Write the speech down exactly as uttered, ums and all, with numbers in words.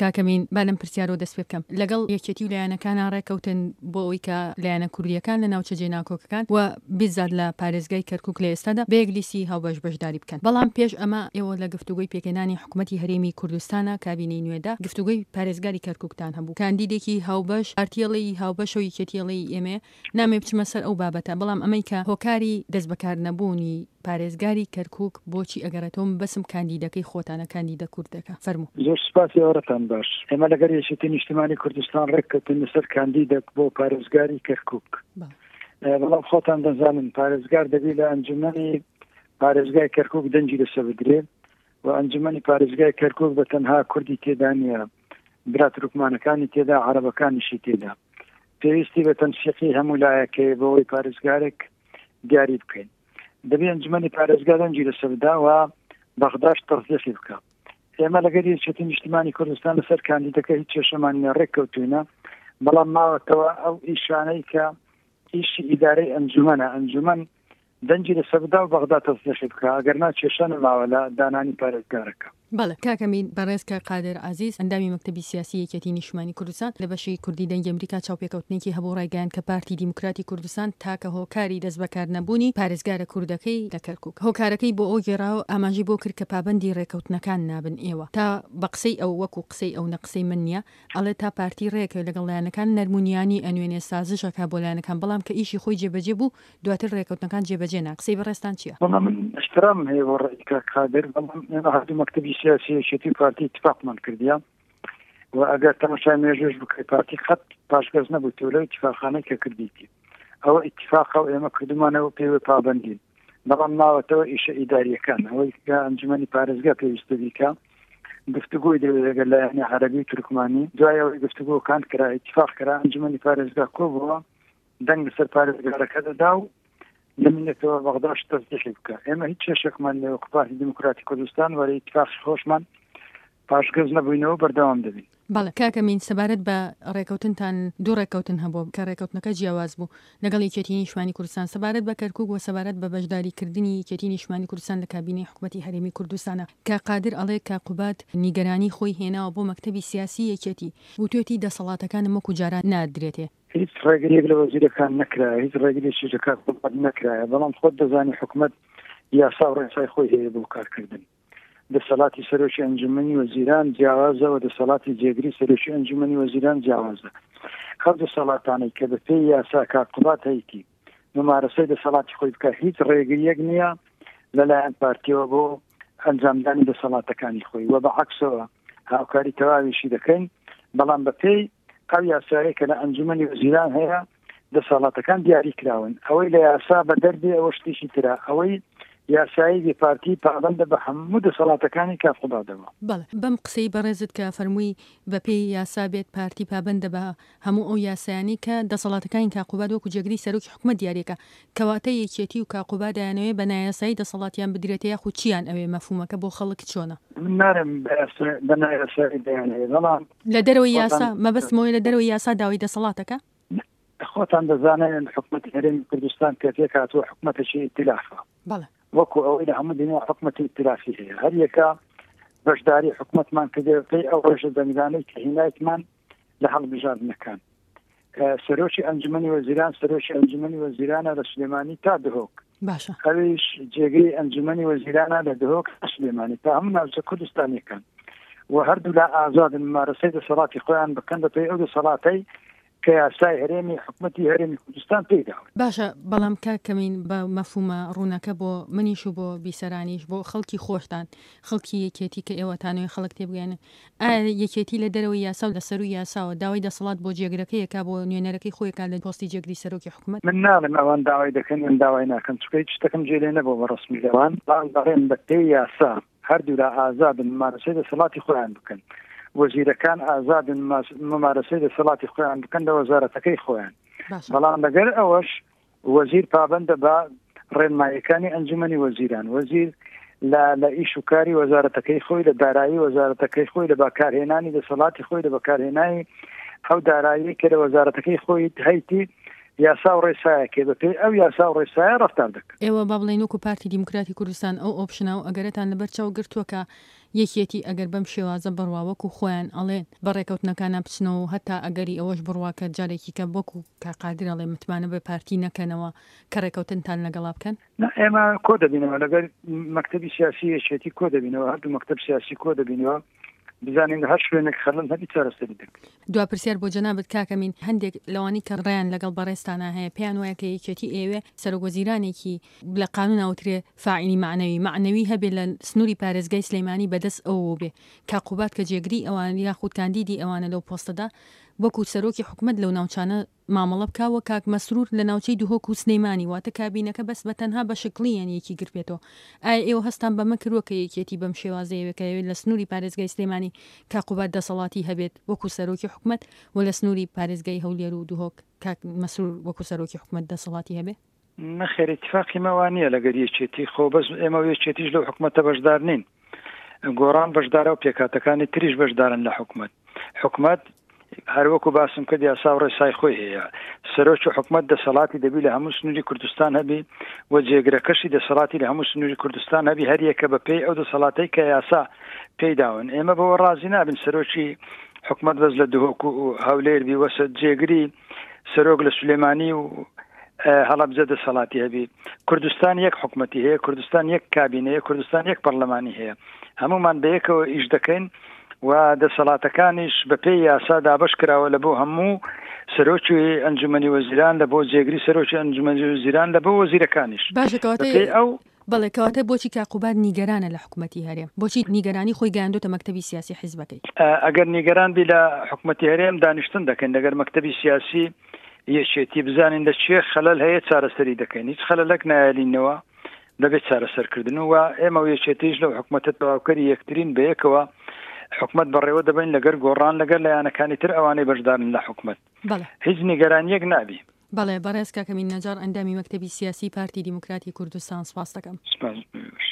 کاک ئەمین با لەم پرسیارەوە دەست پێ بکەم. لەگەڵ یەکێتی و لایەنەکانا ڕێکەوتن بۆ ئەوەی کە لایەنە کوردییەکان لە ناوچە جێناکۆکەکان و بیزات لە پارێزگای کەرکوک لە ئێستادا بە یەک لیستی هاوبەش بەشداری بکەن. بەڵام پێش ئەمە ئێوە لە گفتوگۆی پێکهێنانی حکومەتی هەرێمی کوردستانا کابینەی نوێدا گفتوگۆی پارێزگاری کەرکوکتان هەبوو. کاندیدێکی هاوبەش پارتی ئەڵێی هاوبەشە و یەکێتی ئەڵێی ئێمەیە. نامەوێ بچمە سەر ئەو بابەتە، بەڵام ئەمەی کە هۆکاری دەستبەکارنەبوونی پارێزگاری کەرکوک بۆچی ئەگەڕێتەوە مەبەسم کاندیدەکەی خۆتانە کاندیدە کوردەکە. فەرموو. زۆر سوپاس ئێوارەتان باش. ئێمە لەگەر یەکێتی نیشتیمانی کوردستان ڕێککەوتین لەسەر کاندیدەک بۆ پارێزگاری کەرکوک. بەڵام خۆتان دەزانن پارێزگار دەبی لە ئەنجومەنی پارێزگای کەرکوک دەنگی لەسەر بدرێ و ئەنجومەنی پارێزگای کەرکوک بە تەنها کوردی تێدا نییە، برا تورکمانەکانی تێدا، عەرەبەکانیشی تێدا. پێویستی بە تەنسیقی هەموو لایەکەیە بۆ ئەوەی پارێزگارێک دیاری بکەین. دەبێ ئەنجومەنی پارێزگا دەنگی لەسەر بدا و بەغداش تەسدیقی بکە. ئێمە لەگەر یەکێتی نیشتیمانی کوردستان لەسەر کاندیدەکە هیچ کێشەمان نییە، ڕێککەوتوینە، بەڵام ماوەتەوە ئەو ئیشانەی کە ئیشی ئیدارەی ئەنجومەنە، ئەنجومەن دەنگی لەسەر بدا و بەغدا تەسدیقی بکە، ئەگەر نا کێشە نەماوە لە دانانی پارێزگارەکە. بەڵێ کاک ئەمین، بەڕێز کاک قادر عەزیز ئەندامی مەکتەبی سیاسی یەکێتی نیشتمانی کوردستان لە بەشی کوردی دەنگی ئەمریکا چاوپێکەوتنێکی هەبوو ڕایگەیاند کە پارتی دیموکراتی کوردستان تاکە هۆکاری دەستبەکار نەبوونی پارێزگارە کوردەکەی لە کەرکوک هۆکارەکەی بۆ ئەو گێڕاوە ئاماژەی بۆ کرد کە پابەندی ڕێکەوتنەکان نابن ئێوە تا بە قسەی ئەو وەکو قسەی ئەو نە قسەی من نیە ئەڵێ تا پارتی ڕێکەوێ لەگەڵ لایەنەکان نەرمونیانی ئەنوێنێ سازش ئەکا بۆ لایەنەکان بەڵام کە ئیشی خۆی جێبەجێ بوو دواتر ڕێکەوتنەکان جێبەجێ نا قسەی بەڕێزتان چیە؟ وەڵا من ئیحترامم هەیە بۆ ڕەئی کاک قادر، بەڵام ئێمە هەردوو مەکتەبی سیاسی یەکێتی و پارتی ئیتفاقمان کردیە و ئەگەر تەماشای مێژووش بکەی پارتی قەت پاشگەز نەبوویتەوە لەو ئیتفاقانەی کە کردیتی. ئەوە ئیتفاقە و ئێمە کردومانەوە پێوە پابەندین، بەڵام ماوەتەوە ئیشە ئیداریەکان، ئەوەی کە ئەنجومەنی پارێزگا پێویستە بیکا گفتوگۆی دەوێت لەگەڵ لایەنی عەرەبی و تورکمانی. دوای ئەوەی گفتوگۆکان کرا ئیتفاق کرا ئەنجومەنی پارێزگا کۆبووە دەنگ لەسەر پارێزگارەکە دەدا و دەمێنێتەوە بەغداش تەسدیقی بکە. ئێمە هیچ کێشێکمان لە وەکو پارتی دیموکراتی کوردستان وەرە ئیتفاقی خۆشمان پاشگەز نەبووینەوە بەردەوام دەبین. بەڵێ کاک ئەمین، سەبارەت بە ڕێکەوتنتان دوو ڕێکەوتن هەبوو کە ڕێکەوتنەکە جیاواز بوو لەگەڵ یەکێتی نیشتمانی کوردستان سەبارەت بە کەرکوک و سەبارەت بە بەشداریکردنی یەکێتی نیشتمانی کوردستان لە کابینەی حکومەتی هەرێمی کوردستانە کە قادر ئەڵێ کە قوباد نیگەرانی خۆی هێناوە بۆ مەکتەبی سیاسی یەکێتی وتوێتی دەسەڵاتەکانم وەکو جاران نادرێتێ. هیچ ڕێگریەک لە وەزیرەکان نەکرایە، هیچ ڕێگریەکیش لە کاک قوباد نەکرایە، بەڵام خۆت دەزانی حکومەت یاسا و ڕێسای خۆی هەیە بۆ کارکردن. دەسەڵاتی سەرۆکی ئەنجومەنی وەزیران جیاوازە و دەسەڵاتی جێگری سەرۆکی ئەنجومەنی وەزیران جیاوازە. ئەو دەسەڵاتانەی کە بە پێی یاسا کاک قوباد هەیتی ممارەسەی دەسەڵاتی خۆی بکە، هیچ ڕێگریەک نییە لەلایەن پارتیەوە بۆ ئەنجامدانی دەسەڵاتەکانی خۆی و بە عەکسەوە هاوکاری تەواویشی دەکەین، بەڵام بە پێی ئەو یاسایە کە لە ئەنجومەنی وەزیران هەیە دەسەڵاتەکان دیاری کراون. ئەوەی لە یاسا بە دەردێ ئەوە شتێکی ترە، ئەوەی یاسایی بێ پارتی پابەندە بە هەموو دەسەڵاتەکانی کاک قوبادەوە. بەڵێ بەم قسەی بەڕێزت کە فەرمووی بە پێی یاسا بێت پارتی پابەندە بە هەموو ئەو یاسایانەی کە دەسەڵاتەکانی کاک قوباد وەکو جێگری سەرۆکی حکومەت دیاریەکە، کەواتە یەکێتی و کاک قوباد ئەیانەوێ بە نایاسایی دەسەڵاتیان بدرێتە یاخود چیان ئەوێ؟ مەفهومەکە بۆ خەڵک چۆنە؟ من نارم بە نایاسایی دەیانەوێ، بەڵام لە دەرەوەی یاسا مەبەستمەوەی لە دەرەوەی یاسا داوای دەسەڵاتەکە؟ خۆتان دەزانن حکومەتی هەرێمی کوردستان کە پێکهاتووە حکومەتێکی ئیتلافە. بەڵێ. وەکو ئەوەی لە هەموو دنیا حکومەتی ئیتلافی هەیە، هەر یەکە بەشداری حکومەتمان کردێ پێی ئەو ڕێژە دەنگدانەی کە هینایتمان لە هەڵبژاردنەکان. سەرۆکی ئەنجومەنی وەزیران سەرۆکی ئەنجومەنی وەزیرانە لە سلێمانی تا دهۆک. باشە. ئەویش جێگری ئەنجومەنی وەزیرانە لە دهۆک تا سلێمانی تا هەموو ناوچە کوردستانیەکان و هەردوو لا ئازادن ممارەسەی دەسەڵاتی خۆیان بکەن بە پێی ئەو دەسەڵاتەی کە یاسای هەرێمی حکومەتی هەرێمی کوردستان پێیداون. باشە، بەڵام کاک کەمین بە مەفهومە ڕوونەکە بۆ منیش و بۆ بیسەرانیش بۆ خەڵکی خۆشتان خەڵکی یەکێتی کە ئێوەتانەوەی خەڵک تێبگەیەنن، ئایا یەکێتی لە دەرەوەی یاسا و لە سەرووی یاساوە داوای دەسەڵات بۆ جێگرەکەی ئەکا بۆ نوێنەرەکەی خۆی ئەکا لە پۆستی جێگری سەرۆکی حکومەت؟ من ناڵێم ئەوان داوای دەکەن یان داوای ناکەن، چونکە هیچ شتێکم جێ لێ نەبووە بە ڕەسمی لەوان، بەڵام دەڵێم بە پێی یاسا هەردوولا ئازادن ممارەسەی دەسەڵاتی خۆیان بکەن، وەزیرەکان ئازادن ممارەسەی دەسەڵاتی خۆیان بکەن لە وەزارەتەکەی خۆیان، بەڵام لەگەر ئەوەش وەزیر پابەندە بە ڕێنماییەکانی ئەنجومەنی وەزیران. وەزیر لە لە ئیش و کاری وەزارەتەکەی خۆی، لە دارایی وەزارەتەکەی خۆی، لە بەکارهێنانی دەسەڵاتی خۆی، لە بەکارهێنانی ئەو دارایی کە لە وەزارەتەکەی خۆی هەیتی یاسا و ڕێسایەکێ بە پێی ئەو یاسا و ڕێسایە ڕەفتار دەکەن. ئێوە با بڵێین وەکو پارتی دیموکراتی کوردستان ئەو ئۆپشنە و ئەگەرەتان لەبەر چاو گرتووە کە یەکێتی ئەگەر بەم شێوازە بڕوا وەکو خۆیان ئەڵێن بە ڕێکەوتنەکانا بچنەوە و هەتا ئەگەری ئەوەش بڕوا کە جارێکی کە وەکو کاک قادر ئەڵێ متمانە بە پارتی نەکەنەوە کە ڕێکەوتنتان لەگەڵا بکەن؟ نا ئێمە کۆ دەبینەوە لەگەر مەکتەبی سیاسی یەکێتی کۆ دەبینەوە، هەردوو مەکتەب سیاسی کۆ دەبینەوە بزانین لە هەر شوێنێک خەلەل هەبی چارەسەری دەکەین. دوا پرسیار بۆ جەنابت کاک ئەمین، هەندێک لەوانەی کە ڕایان لەگەڵ بەڕێزتانا هەیە پێیان وایە کە یەکێتی ئەیەوێ سەرۆک وەزیرانێکی لە قانون ئەوترێ فاعلی مەعنەوی مەعنەوی هەبێ لە سنوری پارێزگای سلێمانی بەدەست ئەوەوە بێ کاک قوباد کە جێگری ئەوان یاخود کاندیدی ئەوانە لەو پۆستەدا وەکو سەرۆکی حکومەت لەو ناوچانە مامەڵە بکا و کاک مەسرور لە ناوچەی دهۆک و سلیمانی واتە کابینەکە بەس بە تەنها بە شکڵی یان یەکی گرتبێتەوە ئایا ئێوە هەستان بەمە کردوە کە یەکێتی بەم شێوازەیەوێ کە ئەیەوێت لە سنوری پارێزگای سلێمانی کاک قوباد دەسەڵاتی هەبێت وەکو سەرۆکی حکومەت و لە سنوری پارێزگای هەولێر و دهۆک کاک مەسرور وەکو سەرۆکی حکومەت دەسەڵاتی هەبێ؟ نەخێر ئیتفاقی مە وا نییە لەگەر یەکێتی خۆ بەس ئێمە و یەکێتیش لەو حکومەتە بەشدار نین گۆڕان بەشدارە و پێکهاتەکانی تریش بەشدارن لە حکومەت حکومەت هەروەکو باسم کرد یاسا و ڕێسای خۆی هەیە سەرۆکی حکومەت دەسەڵاتی دەبی لە هەموو سنووری کوردستان هەبی و جێگرەکەشی دەسەڵاتی لە هەموو سنووری کوردستان هەبی هەریەکە بە پێی ئەو دەسەڵاتەی کە یاسا پێی داون ئێمە بەوە ڕازی نابین سەرۆکی حکومەت بەس لە دهۆک و هەولێر بی وەسە جێگری سەرۆک لە سولێمانی و هەڵەبجە دەسەڵاتی هەبی کوردستان یەک حکومەتی هەیە کوردستان یەک کابینەیە کوردستان یەک پەرلەمانی هەیە هەمومان بەیەکەوە ئیش دەکەین و دەسەڵاتەکانیش بەپێی یاسا دابەش کراوە لە بۆ هەموو سەرۆکی ئەنجومەنی وەزیران لە بۆ جێگری سەرۆکی ئەنجومەنی وەزیران لە بۆ وەزیرەکانیش باشە کەواتە بەپێی ئەو بەڵێ کەواتە بۆچی کاک قوباد نیگەرانە لە حکومەتی هەرێم؟ بۆچی نیگەرانی خۆی گەیاندۆتە مەکتەبی سیاسی حیزبەکەی؟ ئەگەر نیگەران بی لە حکومەتی هەرێم دانیشتن دەکەین لەگەر مەکتەبی سیاسی یەکێتی بزانین لە چێ خەلەل هەیە چارەسەری دەکەین هیچ خەلەلەک نایەلینەوە بەبێ چارەسەرکردن و ئێمە و یەکێتیش لەو حکومەتە تەواوکەری یەکترین بەیەکەوە حکومەت بەڕێوە دەبەین لەگەر گۆڕان لەگەر لایەنەکانی تر ئەوانەی بەشدارن لە حکومەت بەڵێ. هیچ نیگەرانیەک نابی. بەڵێ بەڕێز کاک ئەمین نەجاڕ ئەندامی مەکتەبی سیاسی پارتی دیموکراتی کوردستان سپاست دەکەم. سپاس بۆ ئێوەش.